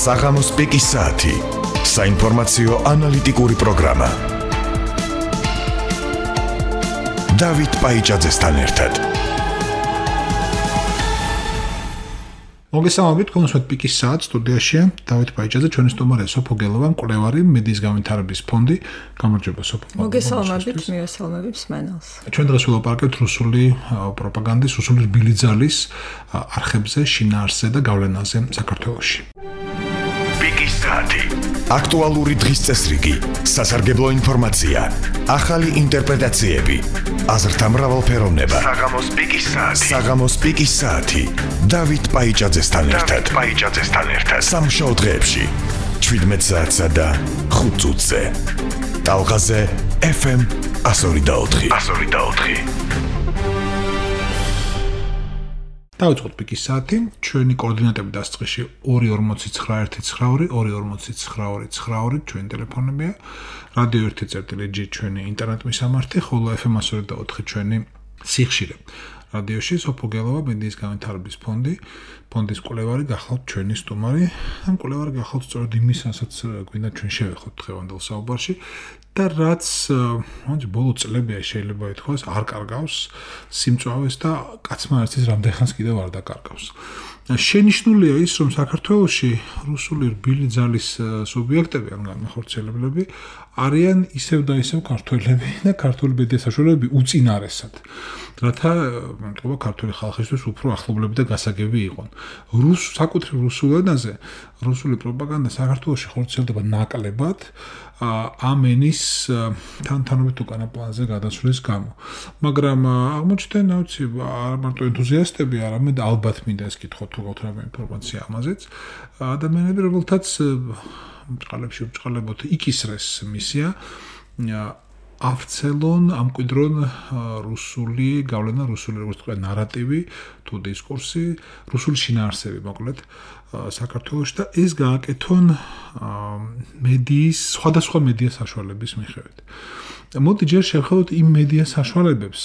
საღამოს პიკის საათი. საინფორმაციო ანალიტიკური პროგრამა. დავით პაიჭაძესთან ერთად. მოგესალმებით, კონსვეთ პიკის საათს სტუდიაში დავით პაიჭაძე, ჩვენი სტუმარია სოფო გელოვა, მკვლევარი, მედიის განვითარების ფონდი. გამარჯობა სოფო. მოგესალმებით, მივესალმებით მსმენელს. ჩვენ დღეს ვილაპარაკებთ რუსული პროპაგანდის, რუსული რბილი ძალის არხებზე, შინაარსზე და გავლენაზე საქართველოში. პიკის საათი. აქტუალური დღის წესრიგი, სასარგებლო ინფორმაცია, ახალი ინტერპრეტაციები, აზრთა მრავალფეროვნება. საღამოს პიკის საათი. დავით პაიჭაძესთან ერთად. სამშაბათ დღეებში 17 საათსა და 5 წუთზე. ტალღაზე FM 102.4. დავიწყოთ პიკის საათი. ჩვენი კოორდინატები დასწრში 24919 24999 ჩვენი ტელეფონებია. რადიო 1.G ჩვენი ინტერნეტ მისამართი, ხოლო FM 102.4 ჩვენი სიხშირე. რადიოში სოფო გელოვა, მედიის განვითარების ფონდი, ფონდის მკვლევარი გახლავთ ჩვენი სტუმარი. ამ მკვლევარი გახლავთ სწორედ იმისასაც გვინდა ჩვენ შევეხოთ დღევანდელ საუბარში და რაც ბოლო წლებია შეიძლება ითქვას არ კარგავს სიმწვავეს და კაცმა ერთის რამდენხანს კიდევ არ დაკარგავს. შენიშნულია ის, რომ საქართველოში რუსული რბილი ძალის სუბიექტები, ან განმახორციელებლები არიან ისევ და ისევ ქართველები და ქართული მედია საშუალებები უწინარესად. რათა მეთქობა ქართული ხალხისთვის უფრო ახლობლები და გასაგები იყონ. საკუთრივ რუსულ ენაზე რუსული პროპაგანდა საქართველოში ხორციელდება ნაკლებად ამ ენის თანთანობით უკანა პლანზე გადასვლის გამო. მაგრამ აღმოჩნდნენ, არ მარტო ენთუზიასტები, არამედ ალბათ მინდა ეს კითხოთ თუ გაქვთ რამე ინფორმაცია ამაზეც. ადამიანები, რომელთაც ბრწყალებოთ იკისრეს მისია ავრცელონ, ამკვიდრონ რუსული გავლენა, რუსული როგორც თქვა ნარატივი თუ დისკურსი, რუსული შინაარსები მოკლედ საქართველოში და ეს გააკეთონ მედიის, სხვადასხვა მედია საშუალების მიხედვით. მოდი ჯერ შევხედოთ იმ მედია საშუალებებს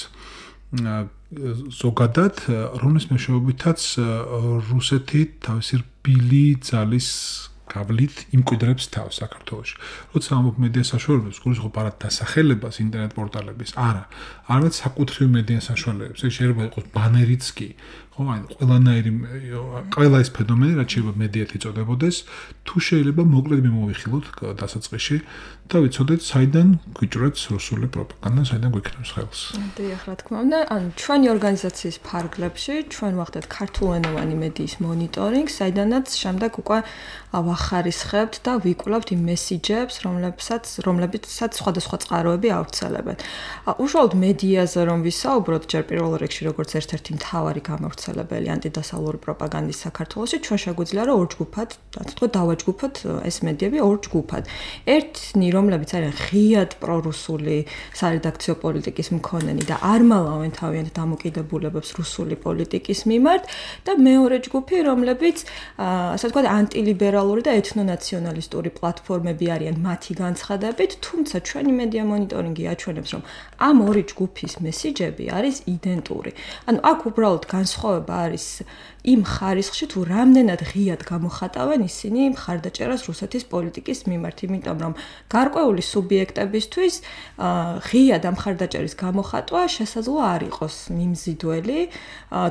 ზოგადად, რომლის მეშვეობითაც რუსეთი თავისი რბილი ძალის გავლით იმკვიდრებს თავს საქართველოში. როცა ამბობ მედია საშუალებებს, გულისხმობ არა დასახელებას ინტერნეტ პორტალების, არამედ საკუთრივ მედია საშუალებებს. ეს შეიძლება იყოს ბანერიც კი, ხო, ან ყველა ეს ფენომენი, რაც შეიძლება მედიად იწოდებოდეს, თუ შეიძლება მოკლედ მიმოვიხილოთ დასაწყისში და ვიცოდეთ, საიდან გვიჭრებს რუსული პროპაგანდა, საიდან გვიქნევს ხელს. დიახ, რა თქმა უნდა, ჩვენი ორგანიზაციის ფარგლებში ჩვენ ვახდეთ ქართულენოვანი მედიის მონიტორინგს, საიდანაც შემდეგ უკვე ვახარისხებთ და ვიკვლევთ იმ მესიჯებს, რომლებიცაც სხვადასხვა წყაროები ავრცელებენ. უშუალოდ მედიაზე რომ ვისაუბროთ, ჯერ პირველ რიგში როგორც ერთ-ერთი მთავარი გამავრცელებელი ანტიდასავლური პროპაგანდის საქართველოში, ჩვენ შეგვიძლია რომ ორ ჯგუფად, ასე ვთქვათ, დავაჯგუფოთ ეს მედიები ორ ჯგუფად. ერთნი, რომლებიც არიან ღიად პრორუსული სარედაქციო პოლიტიკის მქონენი და არ მალავენ თავიანთ დამოკიდებულებებს რუსული პოლიტიკის მიმართ და მეორე ჯგუფი, რომლებიც ასე ვთქვათ, ანტილიბერალური და ეთნონაციონალისტური პლატფორმები არიან მათი განცხადებით, თუმცა ჩვენი მედია მონიტორინგი აჩვენებს, რომ ამ ორი ჯგუფის მესიჯები არის იდენტური. ანუ აქ უბრალოდ განსხვავება არის იმ ხარისხში, თუ რამდენად ღიად გამოხატავენ ისინი მხარდაჭერას რუსეთის პოლიტიკის მიმართ, იმიტომ რომ გარკვეული სუბიექტებისთვის ღიად ამ მხარდაჭერის გამოხატვა შესაძლოა არ იყოს მიმზიდველი,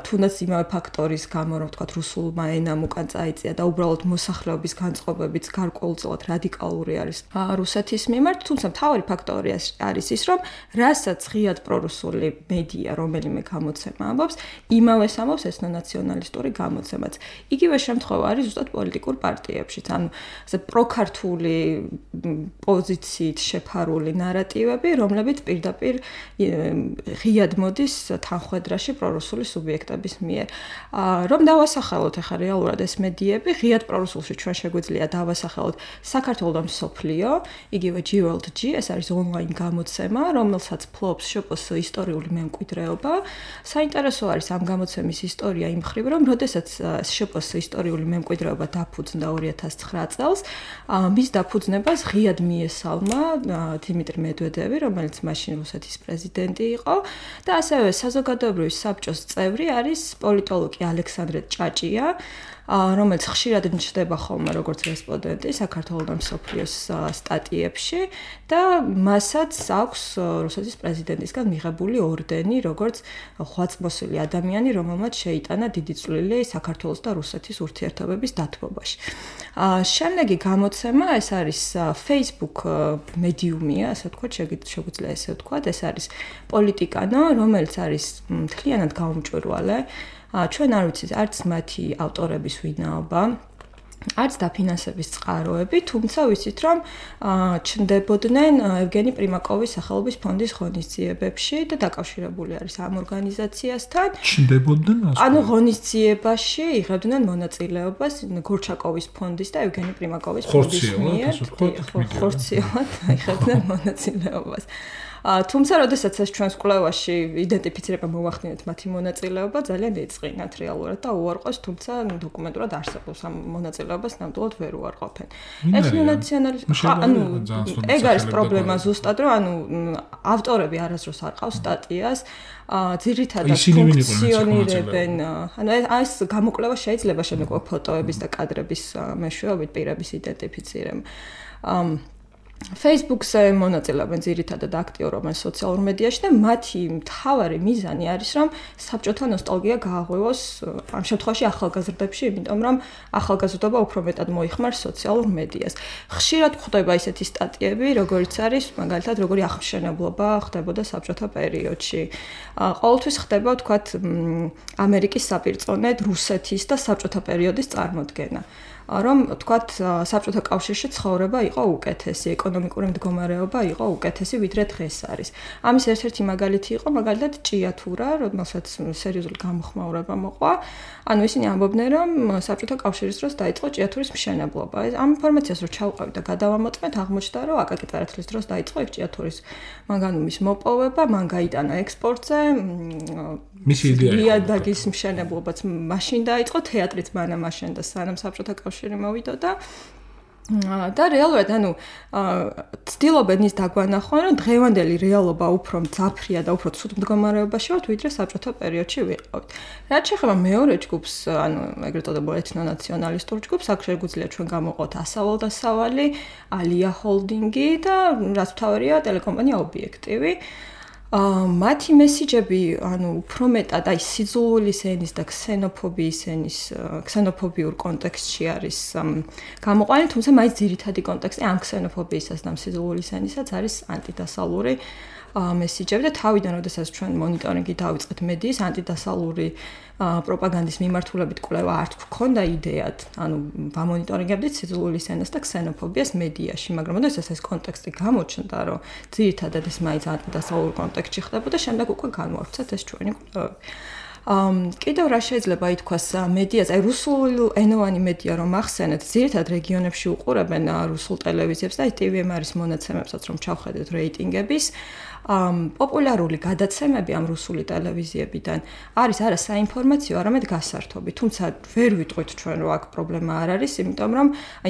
თუნდაც იმავე ფაქტორის გამო, რომ თქვათ რუსულმა ენამ უკან წაიწია და უბრალოდ მოსახლეობის განწყობებიც გარკვეულწილად რადიკალური არის რუსეთის მიმართ, თუმცა მთავარი ფაქტორი არის ის, რომ რასაც ღიად პრორუსული მედია, რომელიმე გამოცემა ამბობს, იმავეს ამბობს ეთნონაციონალისტური გამოცემაც. იგივე შემთხვევა არის ზუსტად პოლიტიკურ პარტიებშიც, ანუ ასე პროქართული პოზიციით შეფარული ნარატივები, რომლებიც პირდაპირ ღიად მოდის თანხმედრაში პრორუსული სუბიექტების მიერ. რომ დავასახელოთ ახლა რეალურად ეს მედიები, ღიად პრორუსულში ჩვენ შეგვიძლია დავასახელოთ საქართველოს და მსოფლიო, იგივე G-World-G, ეს არის ონლაინ გამოცემა, რომელსაც ფლობს შპს ისტორიული მემკვიდრეობა. საინტერესო არის ამ გამოცემის ისტორია იმ მხრივ, რომ როდესაც შპს ისტორიული მემკვიდრეობა დაფუძნდა 2009 წელს, მის დაფუძნებას ღიად მიესალმა დიმიტრი მედვედევი, რომელიც მაშინ რუსეთის პრეზიდენტი იყო და ასევე საზოგადოებრივი საბჭოს წევრი არის პოლიტოლოგი ალექსანდრე ჭაჭია, რომელიც ხშირად ნიშნდება ხოლმე როგორც რესპონდენტი საქართველოს მსოფლიოს სტატიებში და მასაც აქვს რუსეთის პრეზიდენტისგან მიღებული ორდენი, როგორც ხვაწმოსილი ადამიანი, რომელმაც შეიტანა დიდი წვლილი საქართველოს და რუსეთის ურთიერთობების დათბობაში. შემდეგი გამოცემა ეს არის Facebook მედიუმია, ასე ვთქვათ, შეგვიძლია ესე ვთქვათ, ეს არის პოლიტიკანო, რომელიც არის მთლიანად გაუმჭვირვალე. ჩვენ არ ვიცით არც მათი ავტორების ვინაობა, არც დაფინანსების წყაროები, თუმცა ვიცით, რომ ჩნდებოდნენ ევგენი პრიმაკოვის სახელობის ფონდის ღონისძიებებში და დაკავშირებული არის ამ ორგანიზაციასთან. ჩნდებოდნენ? ანუ ღონისძიებაში იღებდნენ მონაწილეობას გორჩაკოვის ფონდის და ევგენი პრიმაკოვის ფონდის მიერ. ხორციელად იღებდნენ მონაწილეობას. თუმცა, როდესაც ეს ჩვენს კვლევაში იდენტიფიცირება მოვახდინეთ მათი მონაწილეობა, ძალიან ეწყინათ რეალურად და უარყვეს, თუმცა დოკუმენტურად არსებობს ამ მონაწილეობას ნამდვილად ვერ უარყოფენ. ეგ არის პრობლემა ზუსტად, რომ ავტორები არასდროს არ ყავს სტატიას, ძირითადად ფუნქციონირებენ, ეს გამოკვლევა შეიძლება შემდგომ ფოტოების და კადრების მეშვეობით პირების იდენტიფიცირება. Facebook-ზე მონაწილეობენ ძირითადად აქტიურობენ სოციალურ მედიაში და მათი მთავარი მიზანი არის, რომ საბჭოთა ნოსტალგია გააღვივოს ამ შემთხვევაში ახალგაზრდებში, იმიტომ რომ ახალგაზრდობა უფრო მეტად მოიხმარს სოციალურ მედიას. ხშირად ხდება ისეთი სტატიები, როგორიც არის, მაგალითად, როგორი აღმშენებლობა ხდებოდა საბჭოთა პერიოდში. ყოველთვის ხდება, ვთქვათ, ამერიკის საპირწონედ რუსეთის და საბჭოთა პერიოდის წარმოდგენა. რომ თქვათ საბჭოთა კავშირში ცხოვრება იყო უკეთესი, ეკონომიკური მდგომარეობა იყო უკეთესი, ვიდრე დღეს არის. ამის ერთ-ერთი მაგალითი იყო მაგალითად ჭიათურა, რომელსაც სერიოზული გამოხმაურება მოყვა. ანუ ისინი ამბობდნენ, რომ საბჭოთა კავშირის დროს დაიწყო ჭიათურის მშენებლობა. ამ ინფორმაციას რო ჩავყავით და გადავამოწმეთ, აღმოჩნდა, რომ აკაკი წერეთლის დროს დაიწყო ეგ ჭიათურის მანგანუმის მოპოვება, მან გაიტანა ექსპორტზე. მისი იდეა იყო. იადაგის მშენებლობაც მაშინ დაიწყო, თეატრიც მანამ აშენდა, სანამ საბჭოთა კავშირი მოვიდა და რეალურად, ცდილობენ ის დაგვანახონ, რომ დღევანდელი რეალობა უფრო მძაფრია და უფრო ცუდ მდგომარეობაში ვართ, ვიდრე საბჭოთა პერიოდში ვიყავით. რაც შეეხება მეორე ჯგუფს, ეგრეთ წოდებულ ეთნონაციონალისტურ ჯგუფს, აქ შეგვიძლია ჩვენ გამოვყოთ ასავალ-დასავალი, ალია ჰოლდინგი და რაც მთავარია, ტელეკომპანია ობიექტივი. მათი მესიჯები, უფრო მეტად სიძულვილის ენის და ქსენოფობიის ენის, ქსენოფობიურ კონტექსტში არის გამოყვანილი, თუმცა მაინც ძირითადი კონტექსტი ამ ქსენოფობიისას და სიძულვილის ენისაც არის ანტიდასალური მესიჯები და თავიდან, როდესაც ჩვენ მონიტორინგი დავიწყეთ მედიის, ანტიდასალური პროპაგანდის მიმართულებით კვლევა არ გვქონდა იდეად, ვამონიტორინგებდით სიძულვილის ენას და ქსენოფობიას მედიაში, მაგრამ როდესაც ეს კონტექსტი გამოჩნდა, რომ ძირითადად ეს მაინც ანტიდასალურ კონტექსტში ხდებოდა, შემდეგ უკვე განვავრცეთ ეს ჩვენი კვლევები. კიდევ რა შეიძლება ითქვას მედიაზე, რუსულენოვანი მედია რომ ახსენეთ, ძირითადად რეგიონებში უყურებენ რუსულ ტელევიზიებს და TVM არის მონაცემებსაც რომ ჩავხედეთ რეიტინგების. პოპულარული გადაცემები ამ რუსული ტელევიზიებიდან არის არა საინფორმაციო, არამედ გასართობი. თუმცა ვერ ვიტყვით ჩვენ რომ აქ პრობლემა არ არის, იმიტომ რომ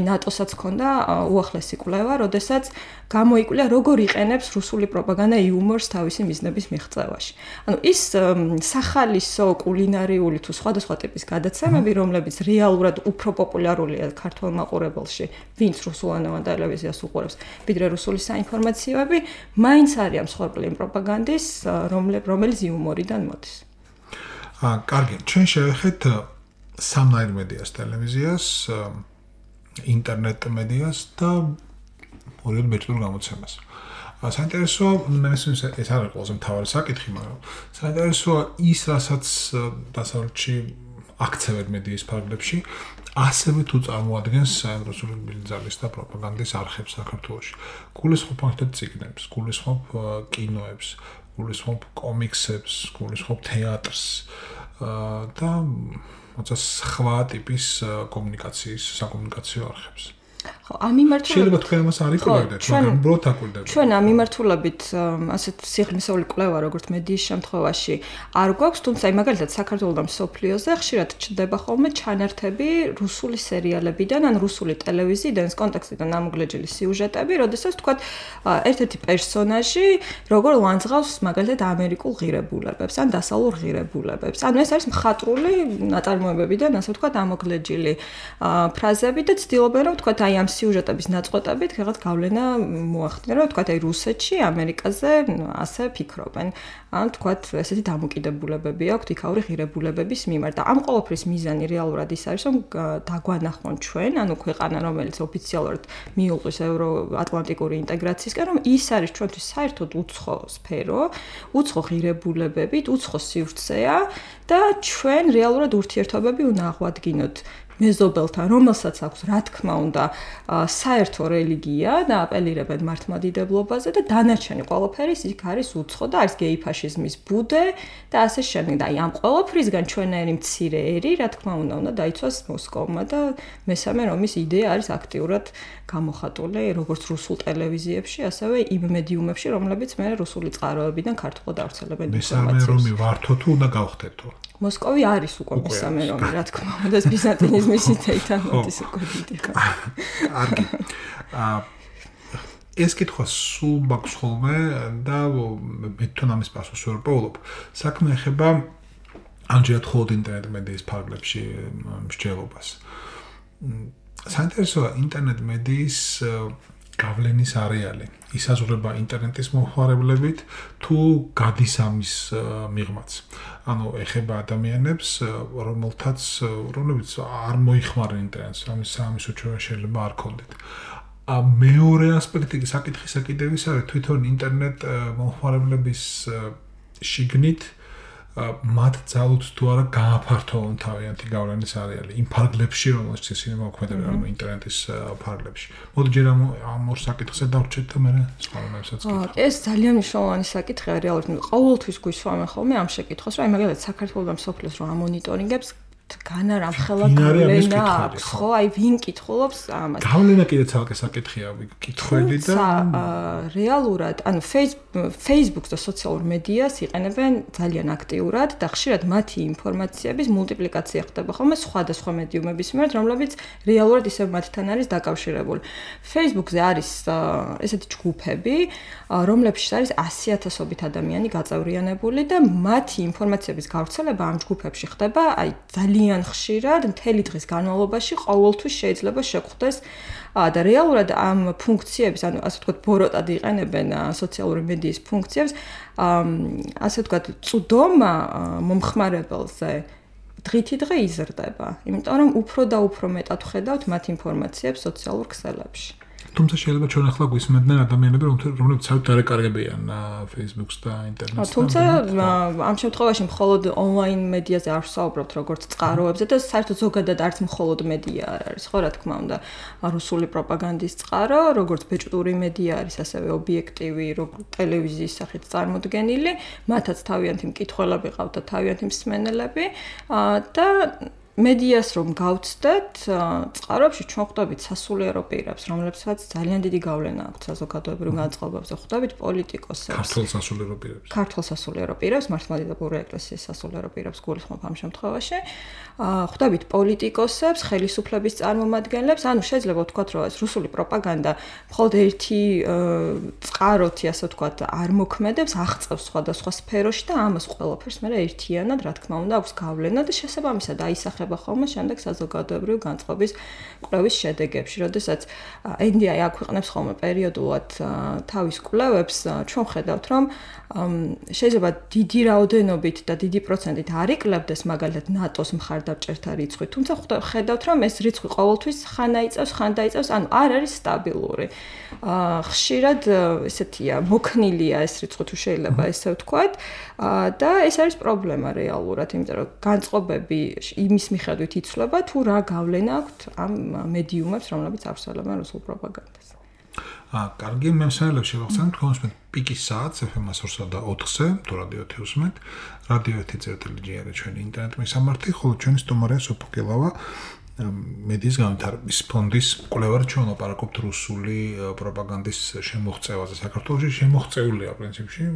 ნატოსაც ჰქონდა უახლესი კვლევა, როდესაც გამოიკვლია როგორ იყენებს რუსული პროპაგანდა იუმორს თავისი მიზნების მიღწევაში. ის სახალისო კულინარიული თუ სხვადასხვა ტიპის გადაცემები, რომლებიც რეალურად უფრო პოპულარულია ქართულ მაყურებელში, ვინც რუსულენოვან ტელევიზიას უყურებს, ვიდრე რუსული საინფორმაციოები, მაინც არიან მსხვერპლი პროპაგანდის, რომელიც იუმორიდან მოდის. კარგი, ჩვენ შევეხეთ სამნაირ მედიას, ტელევიზიას, ინტერნეტ მედიას და ორიოდ ბეჭდურ გამოცემას. საინტერესოა, ეს არ არის ყველაზე მთავარი საკითხი, მაგრამ საინტერესოა ის, რასაც დასავლეთში აქცევენ მედიის ფარგლებში, ასევე თუ წარმოადგენს რუსული ბიძალის და პროპაგანდის არხებს საქართველოში. გულისხმობ ახალ წიგნებს, გულისხმობ კინოებს, გულისხმობ კომიქსებს, გულისხმობ თეატრს და სხვა ტიპის კომუნიკაციის, საკომუნიკაციო არხებს. ხო, ამ მიმართულებით შეიძლება თქვენ მას არ იკვლევდეთ, მაგრამ უბრალოდ აკვირდებით. ჩვენ ამ მიმართულებით ასეთ სიღრმისეული კვლევა, როგორც მედიის შემთხვევაში, არ გვაქვს, თუმცა მაგალითად საქართველოს და მსოფლიოზე ხშირად ჩნდება ხოლმე ჩანართები რუსული სერიალებიდან, ან რუსული ტელევიზიიდან, კონტექსტიდან ამოგლეჯილი სიუჟეტები, როდესაც თქვათ ერთ-ერთი პერსონაჟი როგორ ლანძღავს მაგალითად ამერიკულ ღირებულებებს, ან დასავლურ ღირებულებებს. ანუ ეს არის მხატვრული ნაწარმოებებიდან, ასე ვთქვათ, ამოგლეჯილი ფრაზები და ცდილობენ რომ ვთქვათ აი ამ სიუჟეტების ნაწყვეტებით რაღაც გავლენა მოახდინა, რომ ვთქვათ აი რუსეთში, ამერიკაზე ასე ფიქრობენ. ან ვთქვათ ესეთი დამოკიდებულებები აქვთ იქაური ღირებულებების მიმართ. და ამ ყოველფრის მიზანი რეალურად ის არის, რომ დაგვანახონ ჩვენ, ანუ ქვეყანა, რომელიც ოფიციალურად მიუღის ევროატლანტიკური ინტეგრაციისკენ, რომ ის არის ჩვენთვის საერთოდ უცხო სფერო, უცხო ღირებულებებით, უცხო სივრცეა და ჩვენ რეალურად ურთიერთობები უნდა აღვადგინოთ მეზობელთან, რომელსაც აქვს, რა თქმა უნდა, საერთო რელიგია და აპელირებენ მართლმადიდებლობაზე და დანარჩენი ყველაფერი იქ არის უცხო და არის გეიფაშიზმის ბუდე და ასე შემდეგ. და აი ამ ყველაფრისგან ჩვენაერი მცირე ერი, რა თქმა უნდა დაიცვას მოსკოვმა და მესამე რომის იდეა არის აქტიურად გამოხატული როგორც რუსულ ტელევიზიებში, ასევე იმ მედიუმებში, რომლებიც მე რუსული წყაროებიდან ქართულად ავრცელებენ ინფორმაციას. მესამე რომი ვართო თუ უნდა გავხდეთო? მოსკოვი არის უკვე მესამე რომი, რა თქმა უნდა, ეს ბიზანტინიზმის იდეიდან მოდის უკვე დიდი. კარგი. ეს კითხვა სულ მაქვს ხოლმე და მე თან ამის პასუხს ვერ პოულობ. საქმე ეხება ამჯერად მხოლოდ ინტერნეტ მედიის ფარგლებში მსჯელობას. საინტერესოა ინტერნეტ მედიის გავლენის არეალი. ისაზღვრება ინტერნეტის მომხმარებლებით თუ გადის ამის მიღმაც. ანუ ეხება ადამიანებს, რომლებიც არ მოიხმარენ ინტერნეტს, ამის უჩვევა შეიძლება არ ქონდეთ. მეორე ასპექტი საკითხისა კიდევ ის არის თვითონ ინტერნეტ მომხმარებლების შიგნით მათ ძალუთ თუ არა გააფართოვონ თავიანთი გავლენის არეალი იმ ფარგლებში, რომელშიც ისინი მოქმედებენ, ანუ ინტერნეტის ფარგლებში. მოდი ჯერ ამ ორ საკითხზე დავრჩეთ და მე სხვა რამებსაც გითხრათ. ეს ძალიან მნიშვნელოვანი საკითხია რეალურად. ყოველთვის გვისვამენ ხოლმე ამ შეკითხვას, რომ აი მაგალითად საქართველოს და მსოფლიოს რომ ამონიტორინგებს განა რამხელა გავლენა აქვს, ხო? აი ვინ კითხულობს ამას? გავლენა კიდე ცალკე საკითხია, კითხველი და რეალურად, ანუ Facebook-ს და სოციალურ მედიას იყენებენ ძალიან აქტიურად და ხშირად მათი ინფორმაციების მულტიპლიკაცია ხდება ხოლმე სხვადასხვა მედიუმების მიმართ, რომლებიც რეალურად ისევ მათთან არის დაკავშირებული. Facebook-ზე არის ესეთი ჯგუფები, რომლებშიც არის 100,000-ობით ადამიანი გაწევრიანებული და მათი ინფორმაციების გავრცელება ამ ჯგუფებში ხდება, აი ძალიან ხშირად მთელი დღის განმავლობაში ყოველთვის შეიძლება შეხვდეს და რეალურად ამ ფუნქციების, ანუ ასე ვთქვათ, ბოროტად იყენებენ სოციალური მედიის ფუნქციებს, ასე ვთქვათ, წვდომა მომხმარებელზე დღითი დღე იზრდება, იმიტომ რომ უფრო და უფრო მეტად ვხედავთ მათ ინფორმაციებს სოციალურ ქსელებში. თუმცა შეიძლება ჩვენ ახლა გვისმენდნენ ადამიანები, რომლებიც საერთოდ არ ეკარგებიან Facebook-ს და ინტერნეტს. თუმცა ამ შემთხვევაში მხოლოდ ონლაინ მედიაზე არ ვსაუბრობთ, როგორც წყაროებზე და საერთოდ ზოგადად არც მხოლოდ მედია არ არის, ხო, რა თქმა უნდა, რუსული პროპაგანდის წყარო, როგორც ბეჭდური მედია არის, ასევე ობიექტივი, როგორც ტელევიზიის სახით წარმოდგენილი, მათაც თავიანთი მკითხველები ყავთ და თავიანთი მსმენელები და მედიას რომ გავცდეთ, წყაროებში ჩვენ ხვდებით სასულიერო პირებს, რომლებსაც ძალიან დიდი გავლენა აქვთ საზოგადოებრივ განწყობებზე, ხვდებით პოლიტიკოსებს, ქართულ სასულიერო პირებს, მართლმადიდებლური ეკლესიის სასულიერო პირებს გულისხმობ ამ შემთხვევაში, ხვდებით პოლიტიკოსებს, ხელისუფლების წარმომადგენლებს, ანუ შეიძლება ვთქვათ, რომ ეს რუსული პროპაგანდა მხოლოდ ერთი წყაროთი, ასე ვთქვათ, არ მოქმედებს, აღწევს სხვადასხვა სფეროში და ამას ყველაფერს მე ერთიანად, რა თქმა უნდა, აქვს გავლენა და შესაბამისად აისახება ხოლმე შემდეგ საზოგადოებრივ განწყობის კვლევის შედეგებში, როდესაც NDI აქვეყნებს ხოლმე პერიოდულად თავის კვლევებს, ჩვენ ხედავთ, რომ შეიძლება დიდი რაოდენობით და დიდი პროცენტით არ იკლებდეს მაგალითად ნატოს მხარდამჭერთა რიცხვი, თუმცა ხედავთ, რომ ეს რიცხვი ყოველთვის ხან დაიწევს, ანუ არ არის სტაბილური. ხშირად ესეთია, მოქნილია ეს რიცხვი თუ შეიძლება ესე ვთქვათ, და ეს არის პრობლემა რეალურად, იმიტომ რომ განწყობები იმის მიხედვით იცვლება თუ რა გავლენა აქვთ ამ მედიუმებს, რომლებიც ავრცელებენ რუსულ პროპაგანდას. კარგი, მე მსმენელებს შევახსენებ, თქვენ უსმენთ პიკის საათს FM 104-ზე, თუ რადიო 1 უსმენთ, რადიო 1.gr ჩვენი ინტერნეტ მისამართი, ხოლო ჩვენი სტუმარია სოფო კილავა, მედიის განვითარების ფონდის კვლევარ ჩვენ ოპარაკობთ რუსული პროპაგანდის შემოღწევაზე საქართველოში შემოღწეულია პრინციპში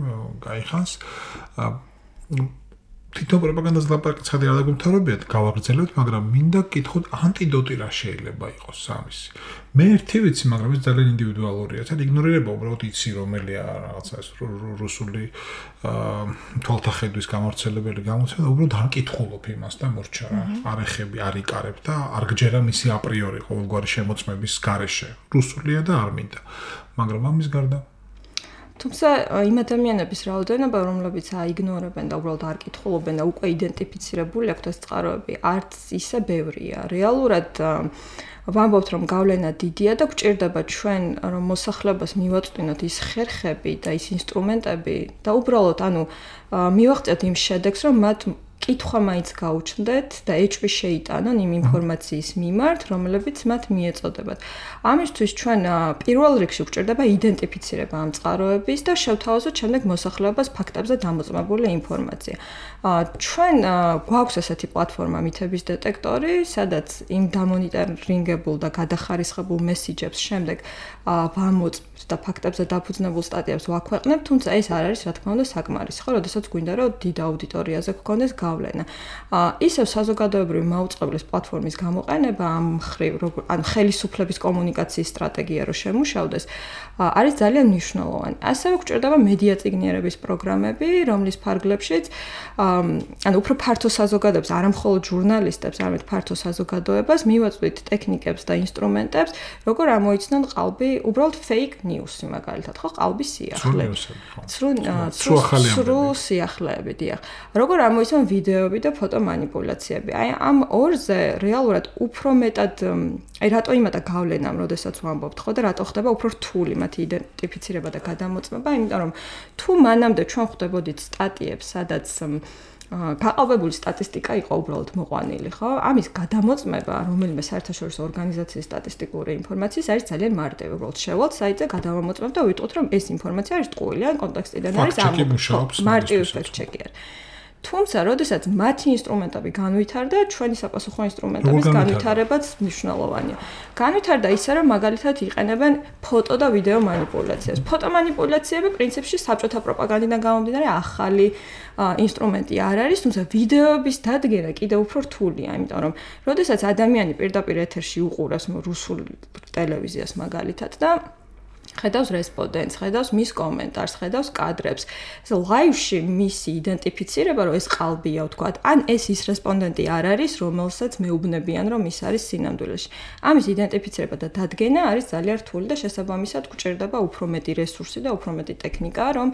გაიხანს თვითონ პროპაგანდას ლაპარაკი ცხადი არ დაგუმთავრებიათ გავაგრძელებთ მაგრამ მინდა გითხოთ ანტიდოტი რა შეიძლება იყოს ამის მე ერთი ვიცი მაგრამ ეს ძალიან ინდივიდუალურია თან იგნორირება უბრალოდ იცი რომელია რაღაცა ეს რუსული თვალთახედვის გამავრცელებელი გამოცემა უბრალოდ არ კითხულობ იმას და მორჩა რა არ ეხები არ იკარებ და არ გჯერა მისი აპრიორი ყოველგვარი შემოწმების გარეშე რუსულია და არ მინდა მაგრამ ამის გარდა თუმცა იმ ადამიანების რაოდენობა, რომლებიც აიგნორებენ და უბრალოდ არ კითხულობენ და უკვე იდენტიფიცირებული აქვთ ეს წყაროები, არც ისე ბევრია. რეალურად ვამბობთ, რომ გავლენა დიდია და გვჭირდება ჩვენ რომ მოსახლეობას მივაწვდინოთ ის ხერხები და ის ინსტრუმენტები და უბრალოდ მივაღწევთ იმ შედეგს, რომ მათ კითხვა მაინც გაუჩნდეთ და ეჭვი შეიტანონ იმ ინფორმაციის მიმართ, რომლებიც მათ მიეწოდებათ. ამისთვის ჩვენ პირველ რიგში გვჭირდება იდენტიფიცირება ამ წყაროების და შევთავაზოთ შემდეგ მოსახლეობას ფაქტებზე დამოწმებული ინფორმაცია. ჩვენ გვაქვს ესეთი პლატფორმა მითების დეტექტორი, სადაც იმ დამონიტორინგებულ და გადახარისხებულ მესიჯებს შემდეგ ვამოწმებთ და ფაქტებზე დაფუძნებულ სტატიებს ვაქვეყნებთ, თუმცა ეს არ არის რა თქმა უნდა საკმარისი, ხო, როდესაც გვინდა რომ დიდ აუდიტორიაზე გქონდეს გავლენა. ისევ საზოგადოებრივი მაუწყებლის პლატფორმის გამოყენება ამ მხრივ, ხელისუფლების კომუნიკაციის სტრატეგია რო შემუშავდეს, არის ძალიან მნიშვნელოვანი. ასევე გვჭირდება მედია წიგნიერების პროგრამები, რომლის ფარგლებშიც უფრო ფართო საზოგადოებას, არა მხოლოდ ჟურნალისტებს, არამედ ფართო საზოგადოებას მივაწვდით ტექნიკებს და ინსტრუმენტებს, როგორ ამოიცნონ ყალბი, უბრალოდ fake news-ი მაგალითად, ხო, ყალბის სიახლე. სრულ სიახლეები, დიახ. როგორ ამოიცნონ ვიდეოები და ფოტომანიპულაციები. აი ამ ორზე რეალურად უფრო მეტად რატო იმადა გავლენამ, როდესაც ვამბობთ, ხო და რატო ხდება უფრო რთული მათი იდენტიფიცირება და გადამოწმება, იმიტომ რომ თუ მანამდე ჩვენ ხვდებოდით სტატიებს, სადაც გაყალბებული სტატისტიკა იყო უბრალოდ მოყვანილი, ხო? ამის გადამოწმება, რომელიმე საერთაშორისო ორგანიზაციის სტატისტიკური ინფორმაციის არის ძალიან მარტივი. უბრალოდ შევალთ საიტზე, გადავამოწმებთ და ვიტყვით, რომ ეს ინფორმაცია არის ტყუილი, ან კონტექსტიდან არის მარტივი ფაქტ-ჩეკი არის. თუმცა, როდესაც მათი ინსტრუმენტები განვითარდა, ჩვენი საპასუხო ინსტრუმენტების განვითარებაც მნიშვნელოვანია. განვითარდა ისე, რომ მაგალითად იყენებენ ფოტო და ვიდეო მანიპულაციას. ფოტომანიპულაციები პრინციპში საბჭოთა პროპაგანდიდან გამომდინარე ახალი ინსტრუმენტი არ არის, თუმცა ვიდეოების დადგენა კიდევ უფრო რთულია, იმიტომ რომ როდესაც ადამიანი პირდაპირ ეთერში უყურებს რუსულ ტელევიზიას მაგალითად და ხედავს რესპონდენტს, ხედავს მის კომენტარს, ხედავს კადრებს. ეს ლაივში მისი იდენტიფიცირება, რომ ეს ყალბია, ვთქვათ, ან ეს ის რესპონდენტი არ არის, რომელსაც მეუბნებიან, რომ ის არის სინამდვილეში. ამის იდენტიფიცირება და დადგენა არის ძალიან რთული და შესაბამისად გვჭირდება უფრო მეტი რესურსი და უფრო მეტი ტექნიკა, რომ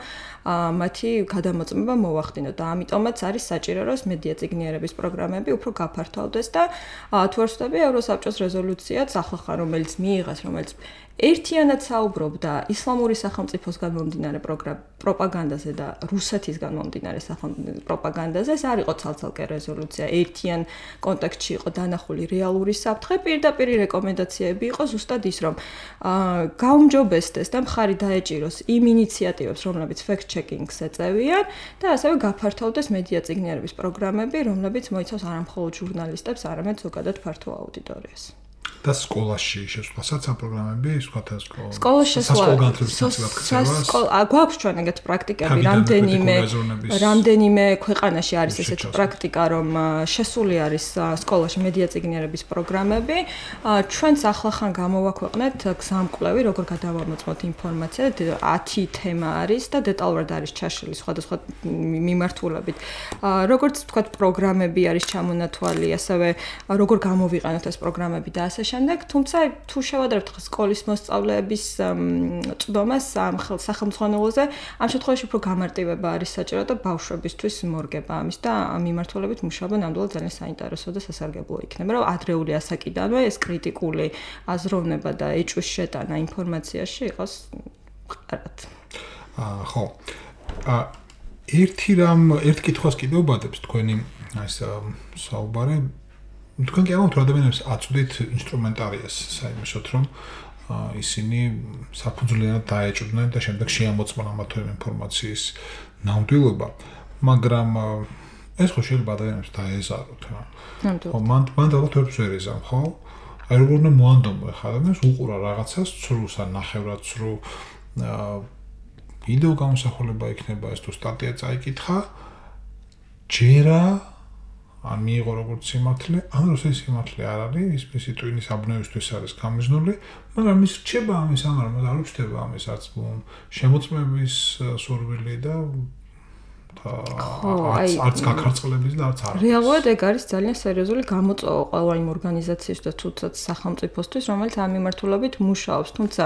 მათი გადამოწმება მოვახდინოთ და ამიტომაც არის საჭირო, რომ მედია წიგნიერების პროგრამები უფრო გაფართოვდეს და თუ არ ვცდები, ევროსაბჭოს რეზოლუციაც ახლა რომელიც მიიღეს, რომელიც ერთიანად საუბრობდა ისლამური სახელმწიფოსგან მომდინარე პროპაგანდაზე და რუსეთისგან მომდინარე პროპაგანდაზე. ეს არ იყო ცალ-ცალკე რეზოლუცია, ერთიან კონტექსტში იყო დანახული რეალური საფრთხე, პირდაპირი რეკომენდაციები იყო ზუსტად ის, რომ გაუმჯობესდეს და მხარი დაეჭიროს იმ ინიციატივებს, რომლებიც fact-checking-ს ეწევიან და ასევე გაფართოვდეს მედია წიგნიერების პროგრამები, რომლებიც მოიცავს არა მხოლოდ ჟურნალისტებს, არამედ ზოგადად ფართო აუდიტორიას. და სკოლაში შესვლასაც ამ პროგრამები, სკოლაში გვაქვს ჩვენ ეგეთ პრაქტიკები, რამდენიმე ქვეყანაში არის ესეთი პრაქტიკა, რომ შესული არის სკოლაში მედია წიგნიერების პროგრამები. ჩვენც ახლახან გამოვაქვეყნეთ გზამკვლევი, როგორ გადავამოწმოთ ინფორმაცია, 10 თემა არის და დეტალურად არის ჩაშლილი სხვადასხვა მიმართულებით. როგორც ვთქვათ, პროგრამები არის ჩამონათვალი, ასევე როგორ გამოვიყენოთ ეს პროგრამები და ასე შემდეგ, თუმცა თუ შევადარებთ სკოლის მოსწავლეების წვდომას სახელმძღვანელოზე, ამ შემთხვევაში უფრო გამარტივება არის საჭირო და ბავშვებისთვის მორგება ამის და ამ მიმართულებით მუშაობა ნამდვილად ძალიან საინტერესო და სასარგებლო იქნება, რომ ადრეული ასაკიდანვე ეს კრიტიკული აზროვნება და ეჭვის შეტანა ინფორმაციაში იყოს მყარად. ხო. ერთ კითხვას კიდევ ვბადებს თქვენი ეს საუბარი თქვენ კი ამბობთ, რომ ადამიანებს აწვდით ინსტრუმენტარიას საიმედოდ, რომ ისინი საფუძვლიანად დაეჭვდნენ და შემდეგ შეამოწმონ ამა თუ იმ ინფორმაციის ნამდვილობა, მაგრამ ეს ხო შეიძლება ადამიანებს დაეზაროთ რა. ხო, მან ალბათ ვერც ვერ ეზამ, ხო? აი როგორ უნდა მოანდომო ხა ადამიანს უყურა რაღაცას ცრუს ან ნახევრად ცრუ ვიდეო გამოსახულება იქნება ეს თუ სტატია წაიკითხა ჯერა ან მიიღო როგორც სიმართლე, ან როცა სიმართლე არ არის, მისი ტვინის აბნევისთვის არის გამიზნული, მაგრამ ის რჩება ამის ამარ, მაგრამ არ რჩება ამის არც შემოწმების სურვილი და არც გაქარწყლების და არც არის. რეალურად ეგ არის ძალიან სერიოზული გამოწვევა ყველა იმ ორგანიზაციის და თუნდაც სახელმწიფოსთვის, რომელიც ამ მიმართულებით მუშაობს. თუმცა